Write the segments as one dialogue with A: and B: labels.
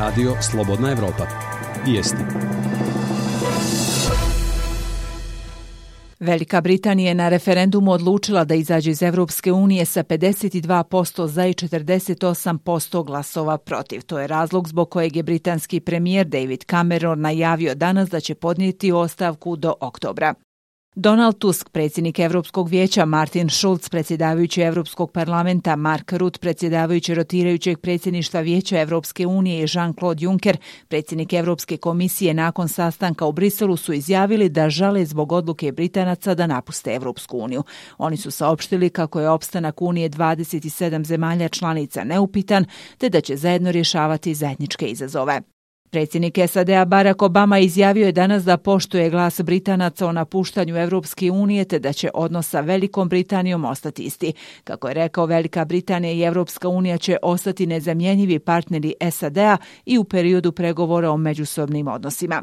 A: Radio Slobodna Evropa. Vijesti.
B: Velika Britanija je na referendumu odlučila da izađe iz Evropske unije sa 52% za i 48% glasova protiv. To je razlog zbog kojeg je britanski premijer David Cameron najavio danas da će podnijeti ostavku do oktobra. Donald Tusk, predsjednik Europskog vijeća, Martin Schulz, predsjedavajući Europskog parlamenta, Mark Rutte, predsjedavajući rotirajućeg predsjedništva Vijeća Europske unije i Jean-Claude Juncker, predsjednik Europske komisije, nakon sastanka u Briselu su izjavili da žale zbog odluke Britanaca da napuste Europsku uniju. Oni su saopštili kako je opstanak Unije 27 zemalja članica neupitan, te da će zajedno rješavati zajedničke izazove. Predsjednik SAD-a Barack Obama izjavio je danas da poštuje glas Britanaca o napuštanju Europske unije te da će odnos sa Velikom Britanijom ostati isti. Kako je rekao, Velika Britanija i Europska unija će ostati nezamjenjivi partneri SAD-a i u periodu pregovora o međusobnim odnosima.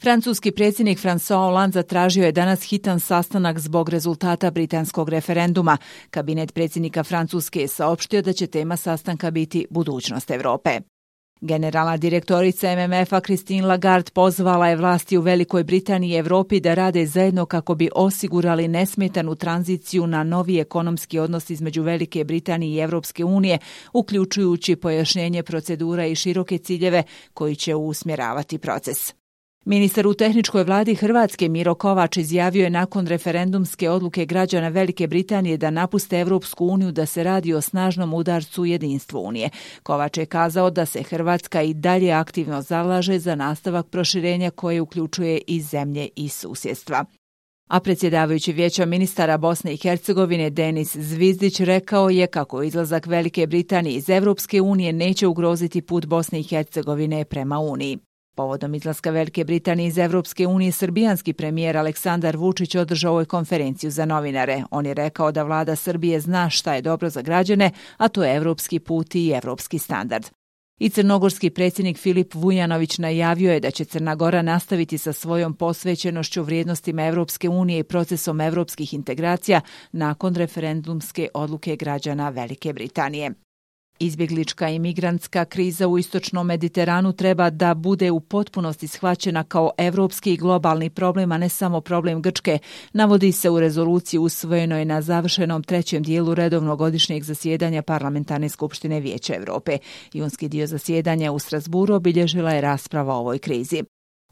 B: Francuski predsjednik François Hollande zatražio je danas hitan sastanak zbog rezultata britanskog referenduma. Kabinet predsjednika Francuske je saopštio da će tema sastanka biti budućnost Europe. Generalna direktorica MMF-a Christine Lagarde pozvala je vlasti u Velikoj Britaniji i Europi da rade zajedno kako bi osigurali nesmetanu tranziciju na novi ekonomski odnos između Velike Britanije i Europske unije, uključujući pojašnjenje procedura i široke ciljeve koji će usmjeravati proces. Ministar u tehničkoj vladi Hrvatske Miro Kovač izjavio je nakon referendumske odluke građana Velike Britanije da napuste Europsku uniju da se radi o snažnom udarcu jedinstvu Unije. Kovač je kazao da se Hrvatska i dalje aktivno zalaže za nastavak proširenja koje uključuje i zemlje iz susjedstva. A predsjedavajući Vijeća ministara Bosne i Hercegovine Denis Zvizdić rekao je kako izlazak Velike Britanije iz Europske unije neće ugroziti put Bosne i Hercegovine prema Uniji. Povodom izlaska Velike Britanije iz Europske unije, srbijanski premijer Aleksandar Vučić održao je konferenciju za novinare. On je rekao da vlada Srbije zna šta je dobro za građane, a to je evropski put i evropski standard. I crnogorski predsjednik Filip Vujanović najavio je da će Crna Gora nastaviti sa svojom posvećenošću vrijednostima Europske unije i procesom europskih integracija nakon referendumske odluke građana Velike Britanije. Izbjeglička i migrantska kriza u istočnom Mediteranu treba da bude u potpunosti shvaćena kao evropski i globalni problem, a ne samo problem Grčke, navodi se u rezoluciji usvojenoj na završenom trećem dijelu redovnog godišnjeg zasjedanja Parlamentarne skupštine Vijeća Europe. Junski dio zasjedanja u Strasburu obilježila je rasprava o ovoj krizi.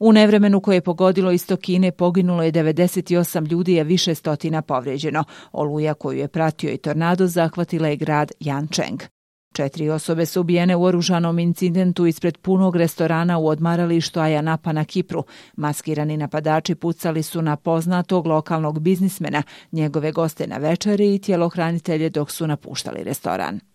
B: U nevremenu koje je pogodilo istok Kine poginulo je 98 ljudi, a više stotina povrijeđeno. Oluja koju je pratio i tornado zahvatila je grad Yancheng. 4 osobe su ubijene u oružanom incidentu ispred punog restorana u odmaralištu Ayia Napa na Kipru. Maskirani napadači pucali su na poznatog lokalnog biznismena, njegove goste na večeri i tjelohranitelje dok su napuštali restoran.